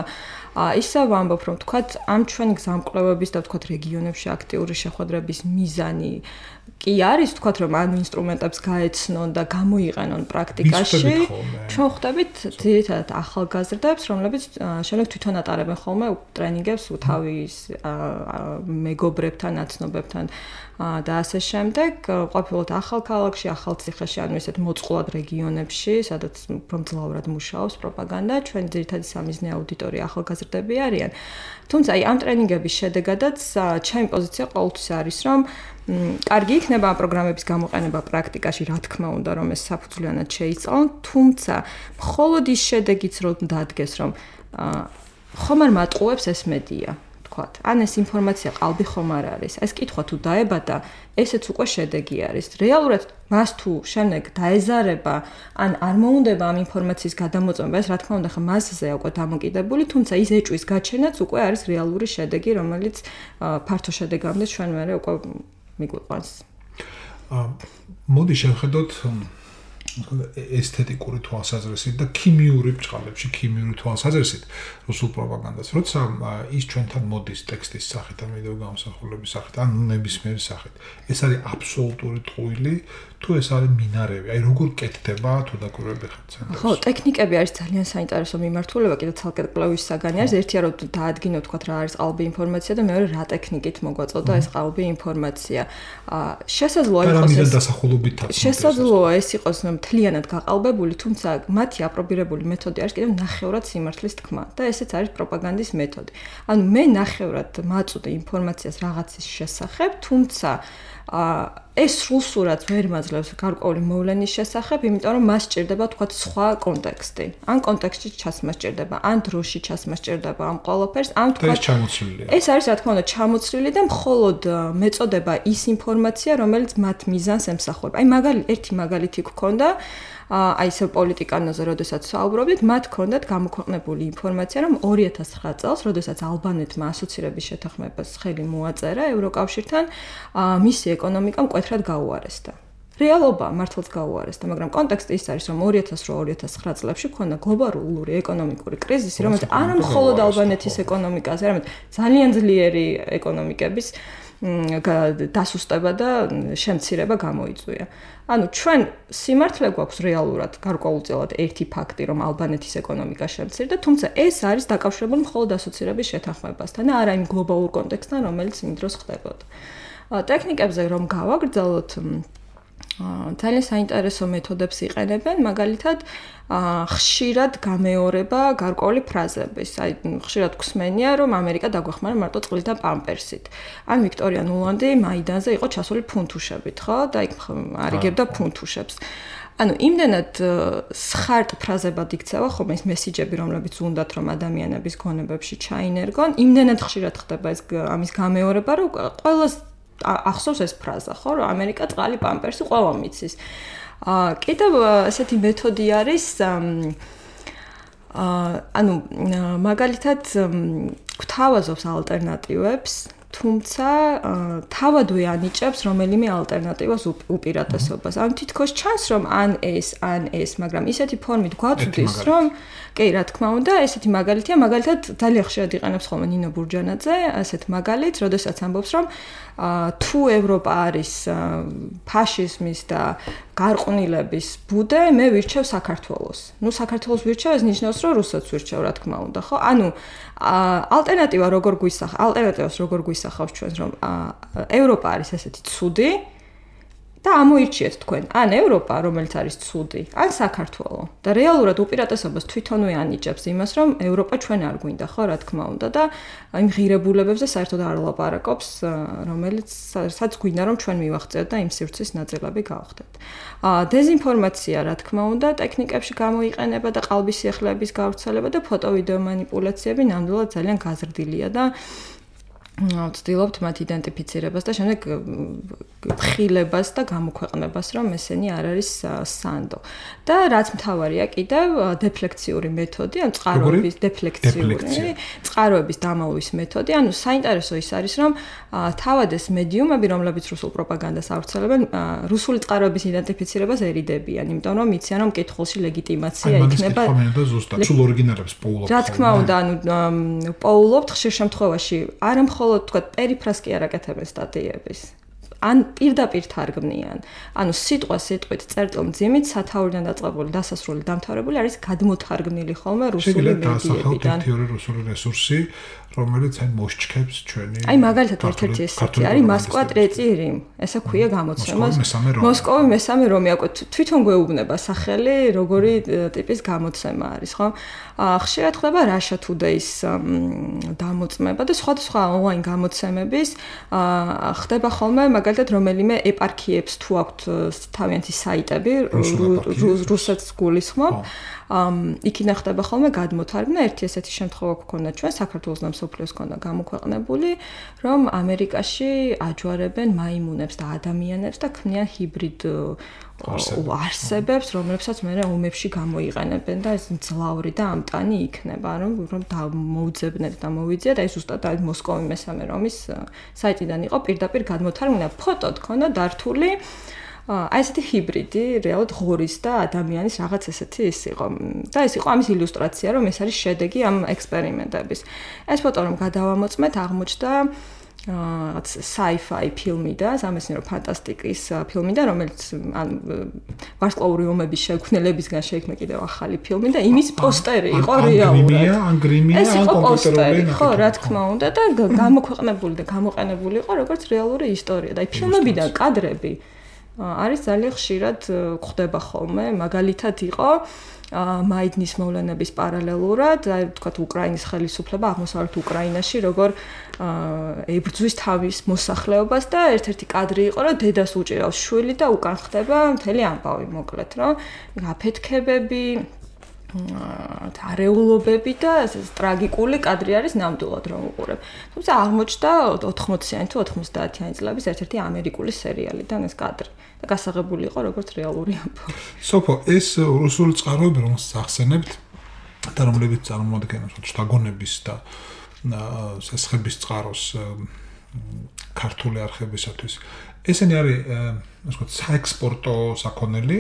ისე ვამბობ, რომ თქვათ ამ ჩვენი გზამკვლევების და თქვათ რეგიონებში აქტიური შეხვედრების მიზანი კი არის, თქვათ რომ ამ ინსტრუმენტებს გაეცნონ და გამოიყენონ პრაქტიკაში. ჩვენ ხვდებით ძირითადად ახალგაზრდებს, რომლებიც შემდეგ თვითონ ატარებენ ხოლმე ტრენინგებს თავის მეგობრებთან, აცნობებთან და ასე შემდეგ, ყოფილად ახალ ქალაქში, ახალ ციხეში, ანუ ესეთ მოწყვლად რეგიონებში, სადაც მომძლავრად მუშაობს პროპაგანდა, ჩვენ ძირითადად სამიზნე აუდიტორია ახალგაზრდები არიან. თუმცა აი ამ ტრენინგების შედეგადაც ჩემი პოზიცია ყოველთვის არის, რომ კარგი იქნება ამ პროგრამების გამოყენება პრაქტიკაში, რა თქმა უნდა, რომ ეს საფუძვლიანად შეიცვალონ, თუმცა მხოლოდ ის შედეგიც რომ დადგეს, რომ ხომ არ მატყუებს ეს მედია. ან ეს ინფორმაცია ყალბი ხომ არ არის. ეს კითხვა თუ დაებადა, ესეც უკვე შედეგი არის. რეალურად მას თუ შემდეგ დაეზარება, ან არ მოუნდება ამ ინფორმაციის გადამოწმება, ეს რა თქმა უნდა ხა მასზეა უკვე დამოკიდებული, თუმცა ის ეჭვის გაჩენაც უკვე არის რეალური შედეგი, რომელიც ფართო შედეგამდე ჩვენ მერე უკვე მიგვიყვანს. მოდი შევხედოთ ესთეტიკური თვალსაზრისით და ქიმიური ბრწყალებში, ქიმიური თვალსაზრისით რუსულ პროპაგანდას. როცა ის ჩვენთან მოდის ტექსტის სახით, ან ვიდეო გამოსახულების სახით, ან ნებისმიერი სახით, ეს არის აბსოლუტური ტყუილი, თუ ეს არის მინარევი, აი როგორ კეთდება თუ დაკვირვები ხართ ცენტრში. ხო, ტექნიკები არის ძალიან საინტერესო მიმართულება, კიდევ ცალკე კვლევის საგანი არის. ერთია რომ დაადგინო თქვათ რა არის ყალბი ინფორმაცია და მეორე რა ტექნიკით მოგვაწოდა ეს ყალბი ინფორმაცია. შესაძლოა იყოს ეს დასახულობითაც. შესაძლოა ეს იყოს მთლიანად გაყალბებული, თუმცა მათი აპრობირებული მეთოდი არის კიდევ ნახევრად სიმართლის თქმა და ესეც არის პროპაგანდის მეთოდი. ანუ მე ნახევრად მაწვდი ინფორმაციას რაღაცის შესახებ, თუმცა ეს სრულსურად ვერ მაძლევს გარკვეული მოვლენის შესახებ, იმიტომ რომ მას სჭირდება თქვათ სხვა კონტექსტი. ან კონტექსტში ჩასმა სჭირდება, ან დროში ჩასმა სჭირდება ამ ყველაფერს, ან თქვათ ეს არის რა თქმა უნდა ჩამოცვლილი და მხოლოდ მეწოდება ის ინფორმაცია, რომელიც მათ მიზანს ემსახურება. აი ერთი მაგალითი გქონდა აი ეს პოლიტიკანოზე, როდესაც საუბრობდით, მათ ჰქონდათ გამოქვეყნებული ინფორმაცია, რომ 2009 წელს, როდესაც ალბანეთმა ასოცირების შეთანხმებას ხელი მოაწერა ევროკავშირთან, მისი ეკონომიკა მკვეთრად გაუარესდა. რეალობა მართლაც გაუარესდა, მაგრამ კონტექსტი ის არის, რომ 2008-2009 წლებში ჰქონდა გლობალური ეკონომიკური კრიზისი, რომელიც არა მხოლოდ ალბანეთის ეკონომიკაზე, არამედ ძალიან ძლიერი ეკონომიკების დასუსტება და შემცირება გამოიწვია. ანუ ჩვენ სიმართლე გვაქვს რეალურად გარკვეულწილად ერთი ფაქტი, რომ ალბანეთის ეკონომიკა შემცირდა, თუმცა ეს არის დაკავშირებული მხოლოდ ასოცირების შეთანხმებასთან და არა იმ გლობალურ კონტექსტთან, რომელიც იმ დროს ხდებოდა. ტექნიკებზე რომ გავაგრძელოთ, ძალიან საინტერესო მეთოდებს იყენებენ, მაგალითად, ხშირად გამეორება გარკვეული ფრაზების. აი, ხშირად გვსმენია, რომ ამერიკა დაგვეხმარა მარტო წყლით და პამპერსით. ან ვიქტორია ნულანდი მაიდანზე იყო ჩასული ფუნთუშებით, ხო? და იქ არიგებდა ფუნთუშებს. ანუ იმდენად სხარტ ფრაზებად იქცევა ხოლმე ეს მესიჯები, რომლებიც უნდათ რომ ადამიანების გონებებში ჩაინერგონ, იმდენად ხშირად ხდება ეს ამის გამეორება, რომ ყველას ახსოვს ეს ფრაზა, ხო, რომ ამერიკა წყალი პამპერსი ყველა მიცის. კიდევ ესეთი მეთოდი არის ანუ მაგალითად გვთავაზობს ალტერნატივებს, თუმცა თავადვე ანიჭებს რომელიმე ალტერნატივას უპირატესობას. ანუ თითქოს ჩანს რომ ან ეს, მაგრამ ისეთი ფორმით გვაწვდის რომ კი, რა თქმა უნდა, ესეთი მაგალითია, მაგალითად ძალიან ხშირად იყენებს ხოლმე ნინო ბურჯანაძე, ასეთ მაგალითს, როდესაც ამბობს რომ თუ ევროპა არის ფაშიზმის და გარყვნილების ბუდე, მე ვირჩევ საქართველოს. ნუ საქართველოს ვირჩევ, ეს ნიშნავს რომ რუსეთს ვირჩევ, რა თქმა უნდა, ხო? ანუ ალტერნატივას როგორ გვისახავს ჩვენს რომ ევროპა არის ესეთი ცუდი და ამოირჩიეთ თქვენ ან ევროპა, რომელიც არის ცუდი, ან საქართველო. და რეალურად უპირატესობას თვითონვე ანიჭებს იმას, რომ ევროპა ჩვენ არ გვინდა, ხო, რა თქმა უნდა და იმ ღირებულებებზე საერთოდ არ ლაპარაკობს, რომელიცაც გვინდა რომ ჩვენ მივახცევთ და იმ სივრცის ნაწილები გავხდეთ. დეზინფორმაცია, რა თქმა უნდა, ტექნიკებში გამოიყენება და ყალბისიახლეების გავრცელება და ფოტო-ვიდეო манипуляციები ნამდვილად ძალიან გაზრდილია და ვცდილობთ მათ იდენტიფიცირებას და შემდეგ ხილებას და გამოქვეყნებას, რომ ესენი არ არის სანდო. და რაც მთავარია კიდევ დეფლექციური მეთოდი, ან წყაროების წყაროების დამალვის მეთოდი. ანუ საინტერესო ის არის, რომ თავად ეს მედიუმები, რომლებიც რუსულ პროპაგანდას ავრცელებენ, რუსული წყაროების იდენტიფიცირებას ერიდებიან, იმიტომ რომ იციან, რომ კითხულში ლეგიტიმაცია იქნება. სულ ორიგინალებს პოულობთ. რა თქმა უნდა, ანუ პოულობთ ხშირ შემთხვევაში არა მხოლოდ თქვა პერიფრას კი არ აკეთებენ სტატიების. ან პირდაპირ თარგმნიან. ანუ სიტყვით წერტილ მძიმით სათაურიდან დაწყებული დასასრული დამთავრებული არის გადმოთარგმნილი ხოლმე რუსული მედიებიდან. თეორიული რუსული რესურსი, რომელიც აი მოსჩქებს ჩვენი. აი მაგალითად ერთ-ერთი ესეთი არის მოსკვა ტრეცი რიმ. ესა ქვია გამოცემას. მოსკოვი მესამე რომი, აკო თვითონ გვეუბნება სახელი, როგორი ტიპის გამოცემა არის, ხო? ხშირად ხდება Russia Today-ის დამოწმება და სხვადასხვა ონლაინ გამოცემების ხდება ხოლმე მაგალითად რომელიმე ეპარქიებს თუ აქვთ თავიანთი საიტები რუსეთს გულისხმობ იქიდან ხდება ხოლმე გადმოთარგმნა ერთი ესეთი შემთხვევა გქონდა ჩვენ საქართველოს და მსოფლიოს ქონდა გამოქვეყნებული რომ ამერიკაში აჯვარებენ მაიმუნებს და ადამიანებს და ქმნიან ჰიბრიდ არსებებს რომლებსაც მე ომებში გამოიყენებენ და ეს მძლავრი და ამტანი იქნება რომ მოუძებნეთ და მოვიძიათ აი ზუსტად აი მოსკოვი მესამე რომის საიტიდან იყო პირდაპირ გადმოთარგმნა ფოტო თქონდა დართული აი ესეთი ჰიბრიდი რეალურად ღორის და ადამიანის რაღაც ესეთი ის იყო და ეს იყო ამის ილუსტრაცია რომ ეს არის შედეგი ამ ექსპერიმენტების ეს ფოტო რომ გადავამოწმეთ აღმოჩნდა რაღაც sci-fi ფილმი და სამეცნიერო ფანტასტიკის ფილმი და რომელიც ვარსკვლავური ომების შექმნელებისგან შეიქმნა კიდევ ახალი ფილმი და იმის პოსტერი იყო რეალურად. ეს იყო პოსტერი, ხო, რა თქმა უნდა და გამოქვეყნებული და გამოყენებული იყო როგორც რეალური ისტორია და აი ფილმებიდან კადრები არის ძალიან ხშირად გვხვდება ხოლმე, მაგალითად იყო მაიდნის მოვლენების პარალელურად, აი ვთქვათ უკრაინის ხელისუფლება აღმოსავლეთ უკრაინაში როგორ ებრძვის თავის მოსახლეობას და ერთ-ერთი კადრი იყო რომ დედას უჭირავს შვილი და უკან ხდება მთელი ამბავი მოკლედ რომ აფეთქებები არეულობები და ტრაგიკული კადრი არის ნამდვილად რომ უყურებ. თუმცა აღმოჩნდა 80-იანი თუ 90-იანი წლების ერთ-ერთი ამერიკული სერიალიდან ეს კადრი და გასაღებული იყო როგორც რეალური ამბავი. სოფო, ეს რუსული წყაროები რომელსაც ახსენებთ და რომლებიც წარმოადგენს შტაგონების და სესხების წყაროს ქართული არხებისათვის ესენი არის ასე ვთქვათ საექსპორტო საქონელი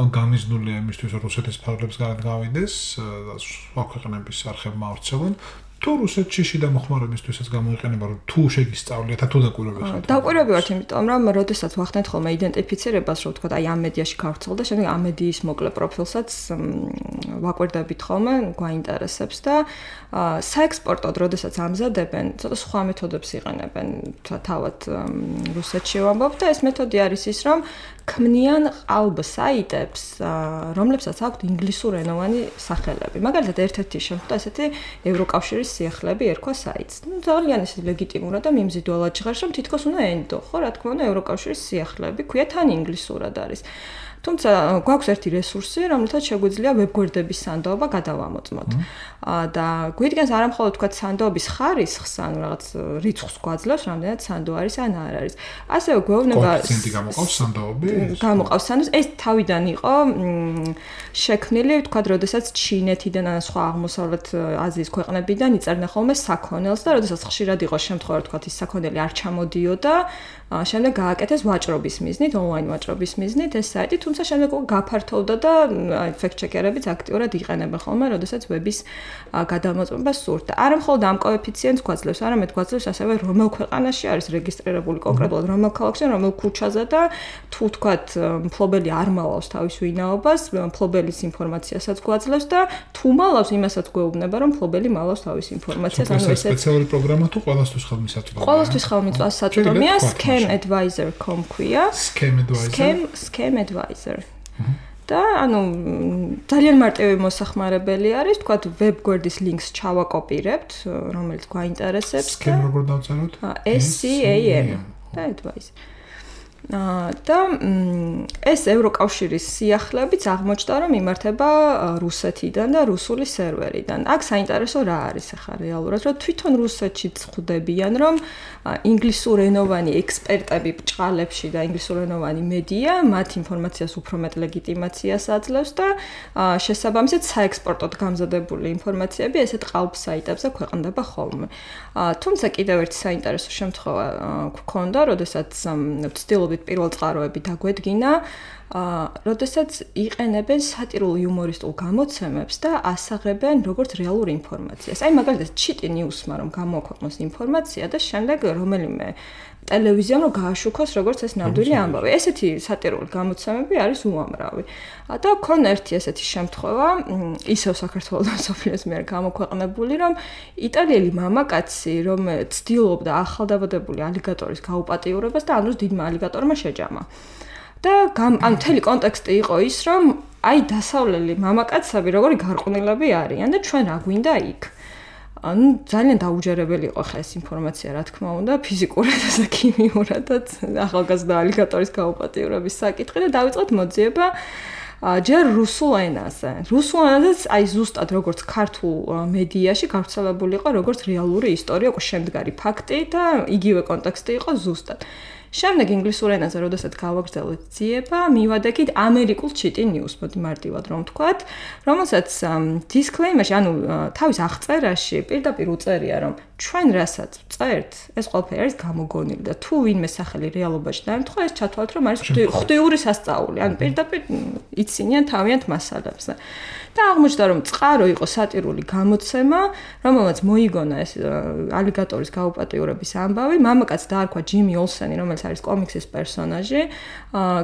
ან გამიზნულია იმისთვის რომ რუსეთის ფარგლებს გავიდეს და სხვა ქვეყნების არხებმა ავრცელონ თუ რუსეთში შიდა მოხმარებისთვისაც გამოიყენება რომ თუ შეგისწავლეთ თუ დაკვირვებთ ხართ დაკვირვები ვართ იმიტომ რომ როდესაც ვახდენთ ხოლმე იდენტიფიცირებას რომ ვთქვათ აი ამ მედიაში გავრცელდა შემდეგ ამ მედიის მოკლე პროფილსაც ვაკვირდებით ხოლმე გვაინტერესებს და საექსპორტოდ როდესაც ამზადებენ ცოტა სხვა მეთოდებს იყენებენ თავად რუსეთში ვამბობ და ეს მეთოდი არის ის რომ ქმნიან ყალბ საიტებს რომლებსაც აქვთ ინგლისურენოვანი სახელები მაგალითად ერთ-ერთი შემთხვევა ესეთი ევროკავშირის სიახლეები ერქვა საიტს. ძალიან ის ლეგიტიმურად და მიმზიდველად ჟღერს, რომ თითქოს უნდა ენდო, ხო, რა თქმა უნდა, ევროკავშირის სიახლეები, ქვია თან ინგლისურად არის. თუმცა გვაქვს ერთი რესურსი, რომელთაც შეგვიძლია ვებგვერდების სანდოობა გადავამოწმოთ. და გვიდგენს არა მხოლოდ თქვა სანდოობის ხარისხს, ანუ რაღაც რიცხვს გვაძლევს, რამდენად სანდო არის ან არ არის. ასევე გვეუბნება კოეფიციენტი გამოყავს სანდოები? გამოყავს სანდოს. ეს თავიდან იყო შექმნილი, თქვა, როდესაც ჩინეთიდან ან სხვა აღმოსავლეთ აზიის ქვეყნებიდან იწერდნენ ხოლმე საქონელს და როდესაც ხშირად იყო შემთხვევა, თქვა, ის საქონელი არ ჩამოდიოდა, შემდეგ გააკეთეს ვაჭრობის მიზნით, ონლაინ ვაჭრობის მიზნით ეს საიტი, თუმცა თუმცა შემდეგ უკვე გაფართოვდა და ფექტ-ჩეკერებიც აქტიურად იყენებენ ხოლმე, როდესაც ვების გადამოწმება სურთ. არა მხოლოდ ამ კოეფიციენტს გვაძლევს, არამედ გვაძლევს ასევე რომელ ქვეყანაში არის რეგისტრირებული კონკრეტულად რომელ ქალაქში, რომელ ქუჩაზე და თუ თქვათ მფლობელი არ მალავს თავის ვინაობას, მფლობელის ინფორმაციასაც გვაძლევს და თუ მალავს, იმასაც გვეუბნება, რომ მფლობელი მალავს თავის ინფორმაციას, ანუ ეს სპეციალური პროგრამა თუ ყველასთვის ხელმისაწვდომია. ყველასთვის ხელმისაწვდომია, scamadvisor.com ქვია. Scam advisor. და ანუ ძალიან მარტივი მოსახმარებელი არის, თქვათ web გვერდის links ჩავაკოპირებთ, რომელიც გვაინტერესებს. Scam როგორ დავწეროთ? SCAM და advisor. და ეს ევროკავშირის სიახლეებიც აღმოჩნდა, რომ იმართება რუსეთიდან და რუსული სერვერიდან. აქ საინტერესო რა არის ახლა რეალურად, რომ თვითონ რუსეთშიც ხვდებიან, რომ ინგლისურენოვანი ექსპერტები ბჭყალებში და ინგლისურენოვანი მედია მათ ინფორმაციას უფრო მეტ ლეგიტიმაციას აძლევს და შესაბამისად საექსპორტოდ გამზადებული ინფორმაციები ესეთ ყალბ საიტებზე ქვეყნდება ხოლმე. თუმცა კიდევ ერთი საინტერესო შემთხვევა გქონდა, როდესაც ვცდილობ პირველ წყაროები დაგვედგინა, როდესაც იყენებენ სატირულ იუმორისტულ გამოცემებს და ასაღებენ როგორც რეალურ ინფორმაციას. აი მაგალითად Cheaty News-მა რომ გამოაქვეყნოს ინფორმაცია და შემდეგ რომელიმე ტელევიზიამ რომ გააშუქოს როგორც ეს ნამდვილი ამბავი. ესეთი სატირული გამოცემები არის უამრავი. და ქონა ერთი ესეთი შემთხვევა, ისევ საქართველოს სოფლიოს მიერ გამოქვეყნებული, რომ იტალიელი მამაკაცი, რომ ცდილობდა ახალდაბადებული ალიგატორის გაუპატიურებას და ამის დიდმა ალიგატორმა შეჯამა. და ანუ მთელი კონტექსტი იყო ის, რომ აი დასავლელი მამაკაცები როგორი გარყვნილები არიან და ჩვენ რა გვინდა იქ. ანუ ძალიან დაუჯერებელი იყო ხა ეს ინფორმაცია, რა თქმა უნდა, ფიზიკურადაც და ქიმიურადაც ახალგაზრდა ალიგატორის გაუპატიურების საკითხი და დავიწყეთ მოძიება ჯერ რუსულ ენაზე. რუსულ ენაზეც აი ზუსტად როგორც ქართულ მედიაში გავრცელებული იყო როგორც რეალური ისტორია, უკვე შემდგარი ფაქტი და იგივე კონტექსტი იყო ზუსტად. შემდეგ ინგლისურ ენაზე, როდესაც გავაგრძელეთ ძიება, მივადექით ამერიკულ Cheaty News, მოდი მარტივად რომ ვთქვათ, რომელსაც disclaimer-ში, ანუ თავის აღწერაში პირდაპირ უწერია, რომ ჩვენ რასაც წერთ, ეს ყველაფერი არის გამოგონილი და თუ ვინმე სახელი რეალობაში დაემთხვა, ეს ჩათვალეთ, რომ არის ღვთიური სასწაული, ანუ პირდაპირ იცინიან თავიანთ მასალებზე. და აღმოჩნდა, რომ წყარო იყო სატირული გამოცემა, რომელმაც მოიგონა ეს ალიგატორის გაუპატიურების ამბავი. მამაკაც დაარქვა ჯიმი ოლსენი, რომელიც არის კომიქსის პერსონაჟი.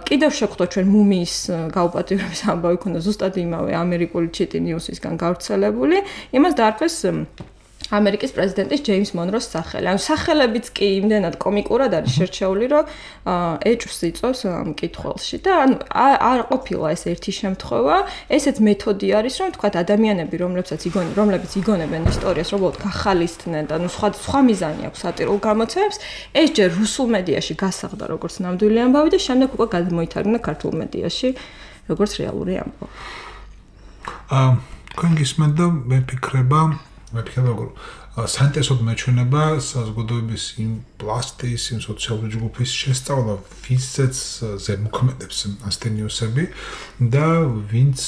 კიდევ შეხვდა ჩვენ მუმიის გაუპატიურების ამბავი, ქონდა ზუსტად იმავე ამერიკული Cheaty News-ისგან გავრცელებული. იმას დაარქვეს ამერიკის პრეზიდენტის ჯეიმს მონროს სახელი. ანუ სახელებიც კი იმდენად კომიკურად არის შერჩეული, რომ ეჭვს იწვევს მკითხველში და ანუ არ ყოფილა ეს ერთი შემთხვევა. ესეც მეთოდი არის, რომ თქვა ადამიანები, რომლებიც იგონებენ ისტორიას, უბრალოდ გახალისდნენ და ნუ სხვა მიზანი აქვს სატირულ გამოცემებს, ეს ჯერ რუსულ მედიაში გასაღდა როგორც ნამდვილი ამბავი და შემდეგ უკვე გადმოითარგმნა ქართულ მედიაში როგორც რეალური ამბავი. თქვენ გისმენთ და მე ფიქრება როგორ საინტერესოდ მეჩვენება საზოგადოების იმ პლასტის, იმ სოციალური ჯგუფის შესწავლა, ვინცაც ზემოქმედებს ასეთი ნიუსები და ვინც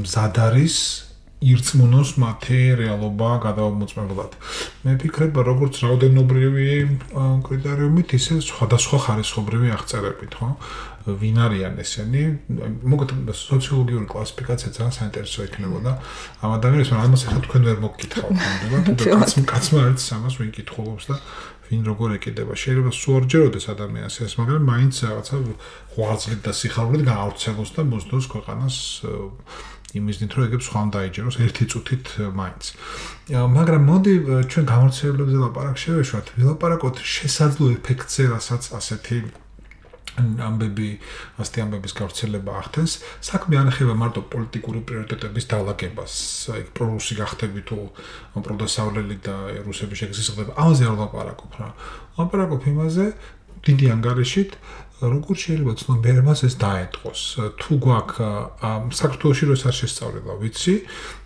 მზად არის ირწმუნოს მათი რეალობა გადამოწმებლად. მე ფიქრება, როგორც რაოდენობრივი კრიტერიუმით, ისე სხვადასხვა ხარისხობრივი აღწერებით, ხო? ვინ არიან ესენი? მოგეთ სოციოლოგიური კლასიფიკაცია ძალიან საინტერესო იქნებოდა. ამ ადამიანებს ამას ახლა თქვენ ვერ მოგკითხავთ, ნამდვილად. კაცმა არის ამას ვინ კითხულობს და ვინ როგორ ეკიდება. შეიძლება სულ არ ჯეროდეს ადამიანს ეს, მაგრამ მაინც რაღაცა ღვაწლით და სიხარულით გაავრცელოს და მოსდოს ქვეყანას იმისნით, რომ ეგებს სხვამ დაიჯეროს ერთი წუთით მაინც. მაგრამ მოდი ჩვენ გამორჩევლებზე ლაპარაკ შევეშვათ. ვილაპარაკოთ შესაძლო ეფექტზე, რასაც ასეთი ამბების გავრცელება ახდენს. საქმე არ ეხება მარტო პოლიტიკური პრიორიტეტების დალაგებას, აი პრორუსი გახდები თუ პროდასავლელი და რუსები შეგზისხდება. ამაზე არ ვლაპარაკობ რა. ვლაპარაკობ იმაზე დიდი ანგარიშით, როგორ შეიძლება ცნობიერებას ეს დაეტყოს. თუ გვაქვს საქართველოში როს არ შესწავლილა, ვიცი,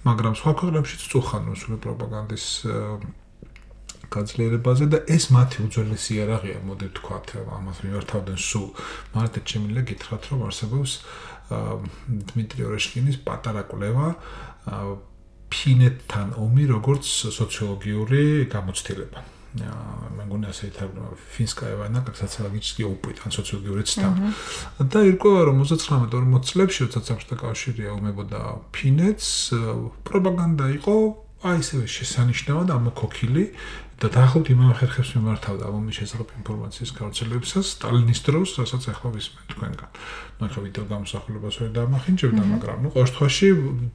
მაგრამ სხვა ქვეყნებშიც წუხან რუსული პროპაგანდის განძლიერებაზე და ეს მათი უძველესი იარაღია, მოდი ვთქვათ, ამას მიმართავდნენ სულ. მარტო შემიძლია გითხრათ, რომ არსებობს დმიტრი ორეშკინის პატარა კვლევა ფინეთთან ომი როგორც სოციოლოგიური გამოცდილება. მე მგონი ასე ითარგმნა ფინსკაია ვანა, კაცაცალაგიჩსკი ოპიტ ან სოციოლოგიური ცდა. და ირკვევა რომ 39-40 წლებში, როდესაც საბჭოთა კავშირი აუმებოდა ფინეთს, პროპაგანდა იყო აი ესე შესანიშნავად ამოქოქილი და დაახლოებით იმავე ხერხებს მიმართავდა ამის შესახებ ინფორმაციის გავრცელებისას სტალინის დროს, რასაც ახლა ვისმენთ თქვენგან. ახლა ვიდეო გამოსახულებას ვერ დამახინჯებდა, მაგრამ ყოველ შემთხვევაში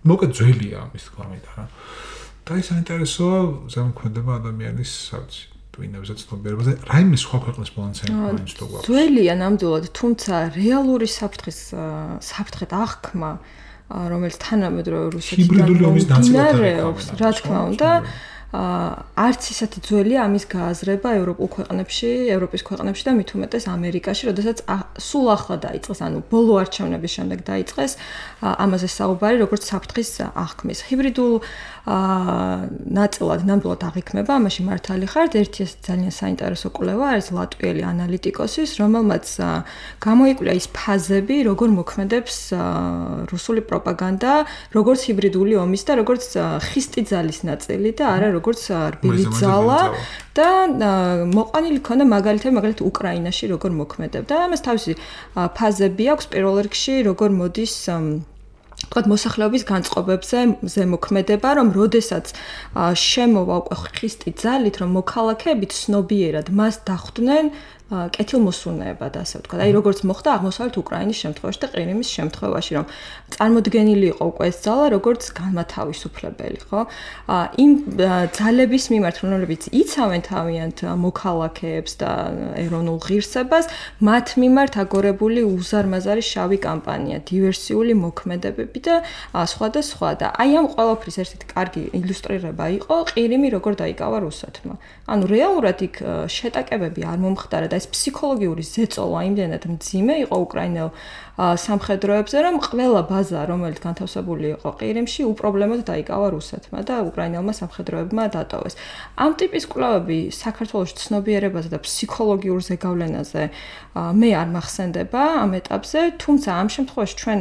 მოკეთ ძველია ამის თქმა მინდა რა. და ის საინტერესოა ზემოქმედება ადამიანის სავცი ტვინებზე ცნობიერებაზე რაიმე სხვა ქვეყნის ბალანსი მაინც თუ გვაქვს. ძველია ნამდვილად, თუმცა რეალური საფრთხეთ აღქმა რომელიც თანამედროვე რუსეთიდან მომდინარეობს, რა თქმა უნდა, არც ისეთი ძველია ამის გააზრება ევროპის ქვეყნებში და მით უმეტეს ამერიკაში, როდესაც სულ ახლა დაიწყეს, ანუ ბოლო არჩევნების შემდეგ დაიწყეს ამაზე საუბარი, როგორც საფრთხის აღქმის. ჰიბრიდულ ნაწილად ნამდვილად აღიქმება, ამაში მართალი ხართ, ერთი ძალიან საინტერესო კვლევა არის ლატვიელი ანალიტიკოსის, რომელმაც გამოიკვლია ის ფაზები, როგორ მოქმედებს რუსული პროპაგანდა, როგორც ჰიბრიდული ომის და როგორც ხისტი ძალის ნაწილი და არა როგორც რბილი ძალა და მოყანილი ქონდა მაგალითად უკრაინაში როგორ მოქმედებდა. ამას თავისი ფაზები აქვს პირველ რიგში, როგორ მოდის თქვათ მოსახლეობის განწყობებზე ზემოქმედება, რომ როდესაც შემოვა უკვე ხისტი ძალით, რომ მოქალაქეები ცნობიერად მას დახვდნენ კეთილმოსურნეებად, ასე ვთქვათ. აი როგორც მოხდა აღმოსავლეთ უკრაინის შემთხვევაში და ყირიმის შემთხვევაში, რომ წარმოდგენილი იყო უკვე ეს ძალა როგორც განმათავისუფლებელი, ხო? იმ ძალების მიმართ, რომლებიც იცავენ თავიანთ მოქალაქეებს და ეროვნულ ღირსებას, მათ მიმართ აგორებული უზარმაზარი შავი კამპანია, დივერსიული მოქმედებები და სხვა და სხვა. და აი ამ ყველაფრის ერთ-ერთი კარგი ილუსტრირება იყო ყირიმი როგორ დაიკავა რუსეთმა. ანუ რეალურად იქ შეტაკებები არ მომხდარა და ეს ფსიქოლოგიური ზეწოლა იმდენად მძიმე იყო უკრაინელ სამხედროებზე, რომ ყველა ბაზა, რომელიც განთავსებული იყო ყირიმში, უპრობლემოდ დაიკავა რუსეთმა და უკრაინელმა სამხედროებმა დატოვეს. ამ ტიპის კვლევები საქართველოში ცნობიერებაზე და ფსიქოლოგიურ ზეგავლენაზე მე არ მახსენდება ამ ეტაპზე, თუმცა ამ შემთხვევაში ჩვენ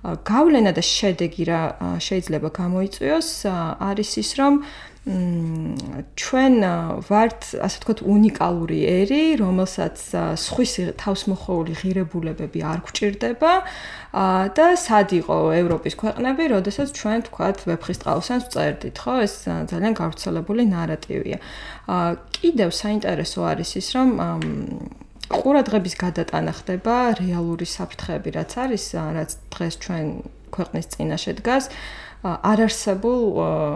გავლენა და შედეგი რა შეიძლება გამოიწვიოს არის ის, რომ ჩვენ ვართ, ასე ვთქვათ, უნიკალური ერი, რომელსაც სხვისი თავსმოხვეული ღირებულებები არ გვჭირდება და სად იყო ევროპის ქვეყნები, როდესაც ჩვენ ვთქვათ, ვეფხისტყაოსანს ვწერდით, ხო? ეს ძალიან გავრცელებული ნარატივია. კიდევ საინტერესო არის ის, რომ ყურადღების გადატანა ხდება რეალური საფრთხეები, რაც არის, რაც დღეს ჩვენ ქვეყნის წინაშე დგას. არარსებულ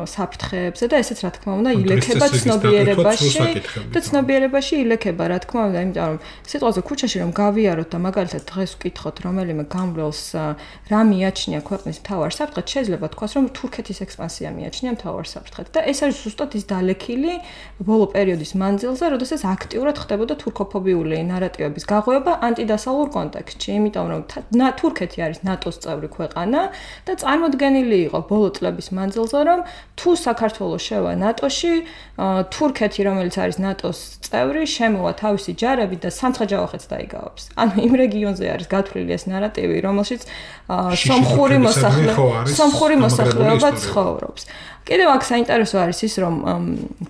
საფრთხეებზე და ესეც რა თქმა უნდა ილექება ცნობიერებაში და ცნობიერებაში ილექება რა თქმა უნდა, იმიტომ რომ სიტყვაზე ქუჩაში რომ გავიაროთ და მაგალითად დღეს ვკითხოთ რომელიმე გამგვლელს რა მიაჩნია ქვეყნის მთავარ საფრთხედ, შეიძლება თქვას რომ თურქეთის ექსპანსია მიაჩნია მთავარ საფრთხედ და ეს არის ზუსტად ის დალექილი ბოლო პერიოდის მანძილზე, როდესაც აქტიურად ხდებოდა თურქოფობიული ნარატივების გაღვევა ანტიდასავლურ კონტექსტში, იმიტომ რომ თურქეთი არის ნატოს წევრი ქვეყანა და წარმოდგენილი იყო ბოლო წლების მანძილზე, რომ თუ საქართველოს შევა ნატოში, თურქეთი, რომელიც არის ნატოს წევრი, შემოვა თავისი ჯარებით და სამცხე-ჯავახეთს დაიგავებს. ანუ იმ რეგიონზე არის გათვლილი ეს ნარატივი, რომელშიც სომხური მოსახლეობა ცხოვრობს. კიდევ აქ საინტერესო არის ის, რომ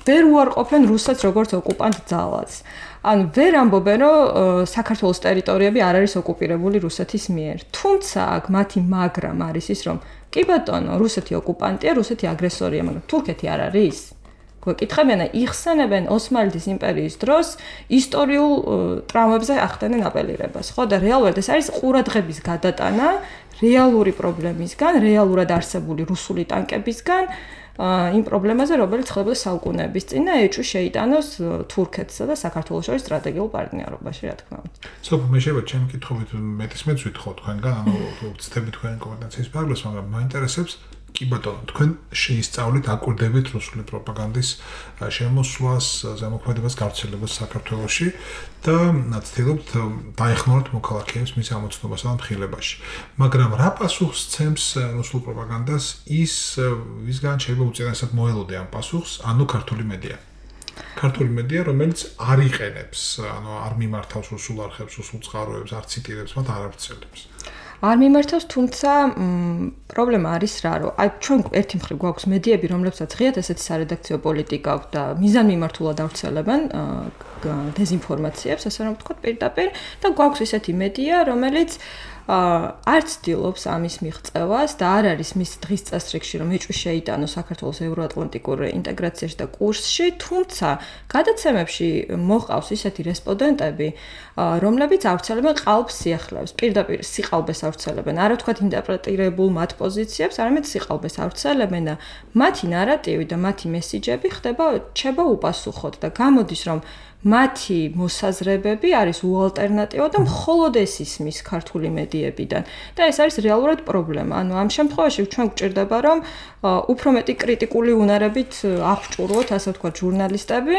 ვერ უარყოფენ რუსეთს როგორც ოკუპანტ ძალას. ანუ ვერ ამბობენ, რომ საქართველოს ტერიტორიები არ არის ოკუპირებული რუსეთის მიერ. თუმცა აქ მათი მაგრამ არის ის, რომ კი ბატონო, რუსეთი ოკუპანტია, რუსეთი აგრესორია, მაგრამ თურქეთი არ არის. გვეკითხებიან, იხსენებენ ოსმალეთის იმპერიის დროს ისტორიულ ტრავმებზე ახდენენ აპელირებას. ხო და რეალურად ეს არის ყურადღების გადატანა რეალური პრობლემისგან, რეალურად არსებული რუსული ტანკებისგან იმ პრობლემაზე, რომელიც ხდებოდა საუკუნეების წინ და ეჭვი შეიტანოს თურქეთსა და საქართველოს შორის სტრატეგიულ პარტნიორობაში, რა თქმა უნდა. სოფო, მე შეიძლება ჩემი კითხვით მეტისმეც ვითხოვ თქვენგან, ანუ ვცდები თქვენი კომპეტენციის ფარგლებს, მაგრამ მაინტერესებს კი ბატონო, თქვენ შეისწავლით, აკვირდებით რუსული პროპაგანდის შემოსვლას, ზემოქმედებას, გავრცელებას საქართველოში და ცდილობთ დაეხმაროთ მოქალაქეებს მის ამოცნობასა და მხილებაში. მაგრამ რა პასუხს ცემს რუსულ პროპაგანდას ის, ვისგან შეიძლება უწინასად მოელოდე ამ პასუხს, ანუ ქართული მედია. ქართული მედია, რომელიც არ იყენებს, ანუ არ მიმართავს რუსულ არხებს, რუსულ წყაროებს, არ ციტირებს, მათ არ ავრცელებს. არ მიმართავს, თუმცა პრობლემა არის რა, რომ აი ჩვენ ერთი მხრივ გვაქვს მედიები, რომლებსაც ღიად ესეთი სარედაქციო პოლიტიკა აქვს და მიზანმიმართულად ავრცელებენ დეზინფორმაციებს, ასე რომ ვთქვათ, პირდაპირ და გვაქვს ისეთი მედია, რომელიც არ ცდილობს ამის მიღწევას და არ არის მის დღის წესრიგში, რომ ეჭვი შეიტანოს საქართველოს ევროატლანტიკურ ინტეგრაციაში და კურსში, თუმცა გადაცემებში მოყავს ისეთი რესპონდენტები, რომლებიც ავრცელებენ ყალბ სიახლეებს, პირდაპირ სიყალბეს ავრცელებენ, არა ვთქვათ ინტერპრეტირებულ მათ პოზიციებს, არამედ სიყალბეს ავრცელებენ და მათი ნარატივი და მათი მესიჯები რჩება უპასუხოდ და გამოდის, რომ მათი მოსაზრებები არის უალტერნატივა და მხოლოდ ეს ისმის ქართული მედიებიდან. და ეს არის რეალურად პრობლემა. ანუ ამ შემთხვევაში ჩვენ გვჭირდება, რომ უფრო მეტი კრიტიკული უნარებით აღჭურვოთ, ასე ვთქვათ, ჟურნალისტები,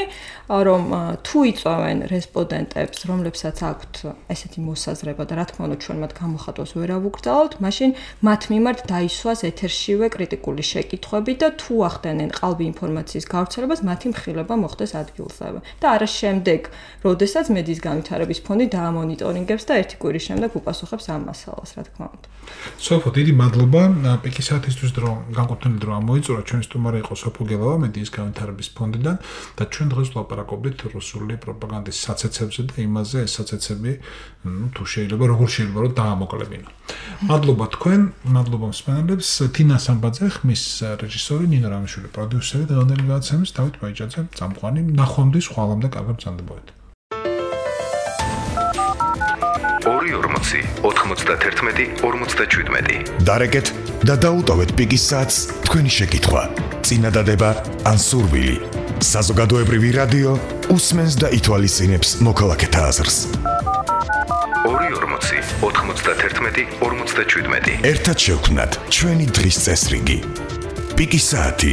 რომ თუ იწვევენ რესპონდენტებს, რომლებსაც აქვთ ესეთი მოსაზრება და რა თქმა უნდა ჩვენ მათ გამოხატვას ვერ ავუკრძალავთ, მაშინ მათ მიმართ დაისვას ეთერშივე კრიტიკული შეკითხვები და თუ ახდენენ ყალბი ინფორმაციის გავრცელებას, მათი მხილება მოხდეს ადგილზევე. და არა შემდეგ, როდესაც მედიის განვითარების ფონდი დაამონიტორინგებს და ერთი კვირის შემდეგ უპასუხებს ამ მასალას, რა თქმა უნდა. სოფო, დიდი მადლობა პიკის საათისთვის, რომ განკუთვნილი დრო ამოიწურა. ჩვენი სტუმარი იყო სოფო გელავა მედიის განვითარების ფონდიდან და ჩვენ დღეს ვლაპარაკობდით რუსული პროპაგანდის საცეცებზე და იმაზე ეს საცეცები, თუ შეიძლება, როგორ შეიძლება რომ დაამოკლებინო. მადლობა თქვენ, მადლობა მსმენელებს. თინა სამბაძე, ხმის რეჟისორი, ნინო რამიშვილი პროდიუსერი და დღევანდელი გადაცემის დავით ბაიჯაძე წამყვანი. ნახვამდის ხვალამდე კარგად ბრძანდებოდეთ. 240 91 47. დარეკეთ და დაუტოვეთ პიკის საათს თქვენი შეკითხვა, წინადადება ან სურვილი. საზოგადოებრივი რადიო უსმენს და ითვალისწინებს მოქალაქეთა აზრს. 240 91 47. ერთად შევქმნათ ჩვენი დღის წესრიგი. პიკის საათი